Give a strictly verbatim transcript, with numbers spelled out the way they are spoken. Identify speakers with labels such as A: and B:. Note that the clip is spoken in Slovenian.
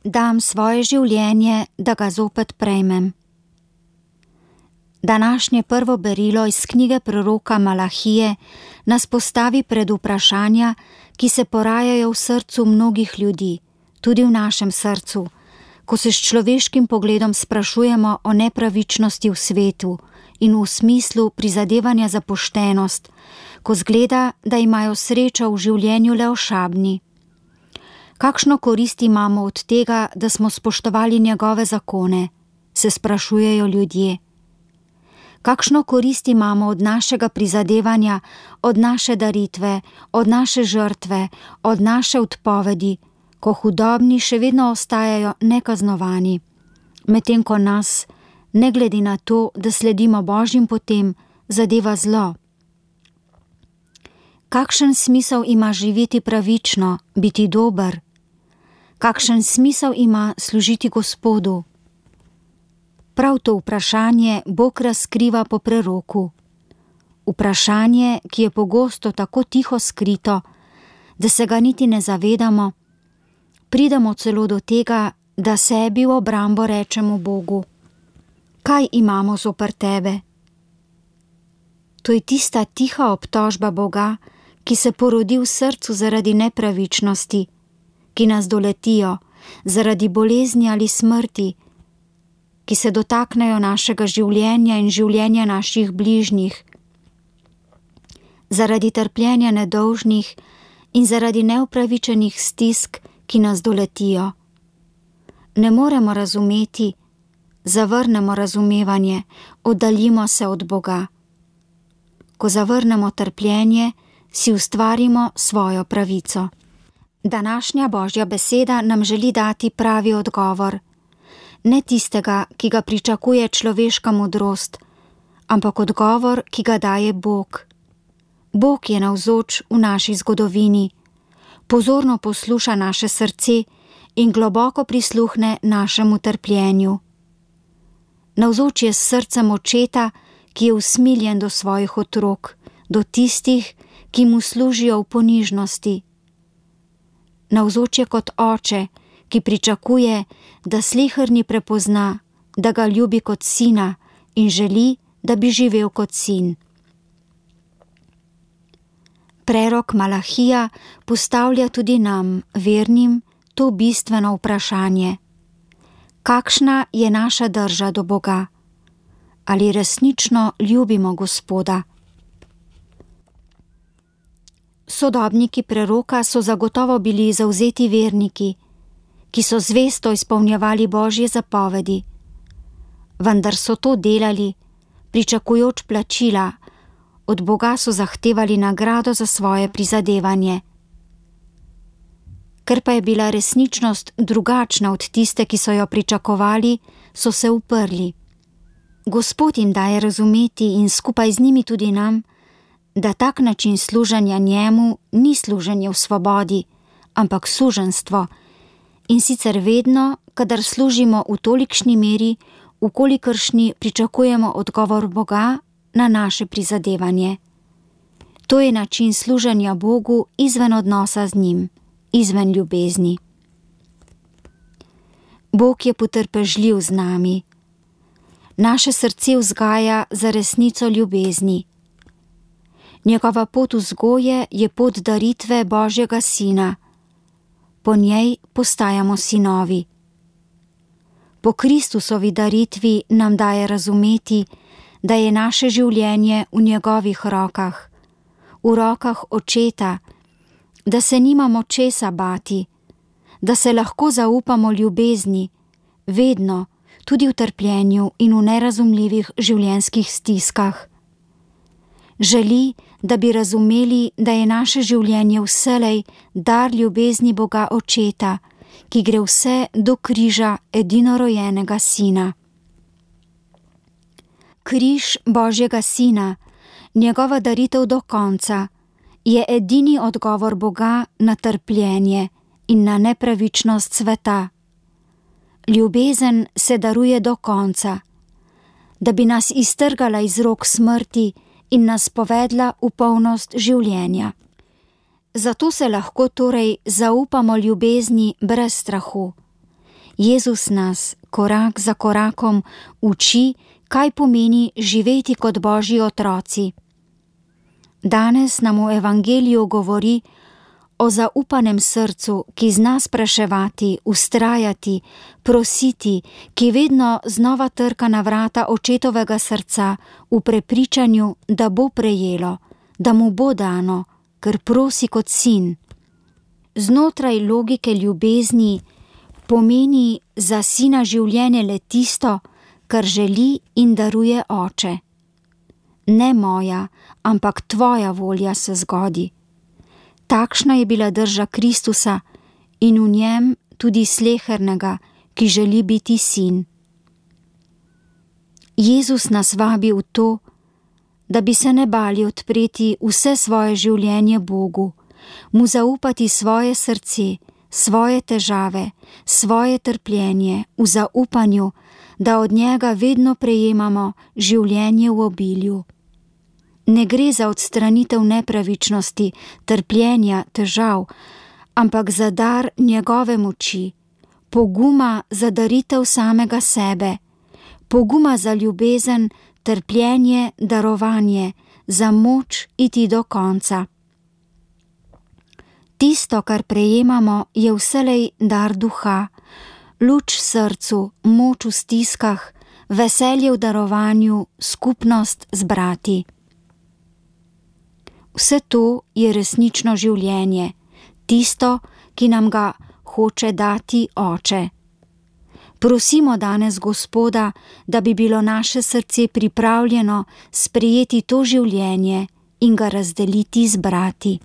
A: dam svoje življenje, da ga zopet prejmem. Današnje prvo berilo iz knjige proroka Malahije nas postavi pred vprašanja, ki se porajajo v srcu mnogih ljudi, tudi v našem srcu, ko se s človeškim pogledom sprašujemo o nepravičnosti v svetu in v smislu prizadevanja za poštenost, ko zgleda, da imajo srečo v življenju le ošabni. Kakšno korist imamo od tega, da smo spoštovali njegove zakone, se sprašujejo ljudje. Kakšno korist imamo od našega prizadevanja, od naše daritve, od naše žrtve, od naše odpovedi, ko hudobni še vedno ostajajo nekaznovani, medtem ko nas, ne glede na to, da sledimo Božjim potem, zadeva zlo. Kakšen smisel ima živeti pravično, biti dober? Kakšen smisel ima služiti Gospodu? Prav to vprašanje Bog razkriva po preroku. Vprašanje, ki je pogosto tako tiho skrito, da se ga niti ne zavedamo, pridemo celo do tega, da sebi v obrambo rečemo Bogu: kaj imamo zoper tebe? To je tista tiha obtožba Boga, ki se porodi v srcu zaradi nepravičnosti, ki nas doletijo, zaradi bolezni ali smrti, ki se dotaknejo našega življenja in življenja naših bližnjih, zaradi trpljenja nedolžnih in zaradi neupravičenih stisk, ki nas doletijo. Ne moremo razumeti, zavrnemo razumevanje, oddaljimo se od Boga. Ko zavrnemo trpljenje, si ustvarimo svojo pravico. Današnja Božja beseda nam želi dati pravi odgovor, ne tistega, ki ga pričakuje človeška modrost, ampak odgovor, ki ga daje Bog. Bog je navzoč v naši zgodovini, pozorno posluša naše srce in globoko prisluhne našemu trpljenju. Navzoč je s srcem očeta, ki je usmiljen do svojih otrok, do tistih, ki mu služijo v ponižnosti. Navzoč je kot oče, ki pričakuje, da sleherni prepozna, da ga ljubi kot sina in želi, da bi živel kot sin. Prerok Malahija postavlja tudi nam, vernim, to bistveno vprašanje. Kakšna je naša drža do Boga? Ali resnično ljubimo Gospoda? Sodobniki preroka so zagotovo bili zavzeti verniki, ki so zvesto izpolnjevali Božje zapovedi, vendar so to delali, pričakujoč plačila, od Boga so zahtevali nagrado za svoje prizadevanje. Ker pa je bila resničnost drugačna od tiste, ki so jo pričakovali, so se uprli. Gospod jim daje razumeti in skupaj z njimi tudi nam, da tak način služenja njemu ni služenje v svobodi, ampak suženstvo, in sicer vedno, kadar služimo v tolikšni meri, v kolikršni pričakujemo odgovor Boga na naše prizadevanje. To je način služenja Bogu izven odnosa z njim, izven ljubezni. Bog je potrpežljiv z nami. Naše srce vzgaja za resnico ljubezni. Njegova pot vzgoje je pot daritve Božjega Sina. Po njej postajamo sinovi. Po Kristusovi daritvi nam daje razumeti, da je naše življenje v njegovih rokah, v rokah Očeta, da se nimamo česa bati, da se lahko zaupamo ljubezni, vedno, tudi v trpljenju in v nerazumljivih življenjskih stiskah. Želi, da bi razumeli, da je naše življenje vselej dar ljubezni Boga Očeta, ki gre vse do križa edinorojenega Sina. Križ Božjega Sina, njegova daritev do konca, je edini odgovor Boga na trpljenje in na nepravičnost sveta. Ljubezen se daruje do konca, da bi nas iztrgala iz rok smrti in nas povedla v polnost življenja. Zato se lahko torej zaupamo ljubezni brez strahu. Jezus nas korak za korakom uči, kaj pomeni živeti kot Božji otroci. Danes nam v Evangeliju govori o zaupanem srcu, ki zna spraševati, vztrajati, prositi, ki vedno znova trka na vrata očetovega srca v prepričanju, da bo prejelo, da mu bo dano, ker prosi kot sin. Znotraj logike ljubezni pomeni za sina življenje le tisto, kar želi in daruje oče. Ne moja, ampak tvoja volja se zgodi. Takšna je bila drža Kristusa in v njem tudi slehernega, ki želi biti sin. Jezus nas vabi v to, da bi se ne bali odpreti vse svoje življenje Bogu, mu zaupati svoje srce, svoje težave, svoje trpljenje v zaupanju, da od njega vedno prejemamo življenje v obilju. Ne gre za odstranitev nepravičnosti, trpljenja, težav, ampak za dar njegove moči, poguma za daritev samega sebe, poguma za ljubezen, trpljenje, darovanje, za moč iti do konca. Tisto, kar prejemamo, je vselej dar duha, luč srcu, moč v stiskah, veselje v darovanju, skupnost z brati. Vse to je resnično življenje, tisto, ki nam ga hoče dati Oče. Prosimo danes Gospoda, da bi bilo naše srce pripravljeno sprejeti to življenje in ga razdeliti z brati.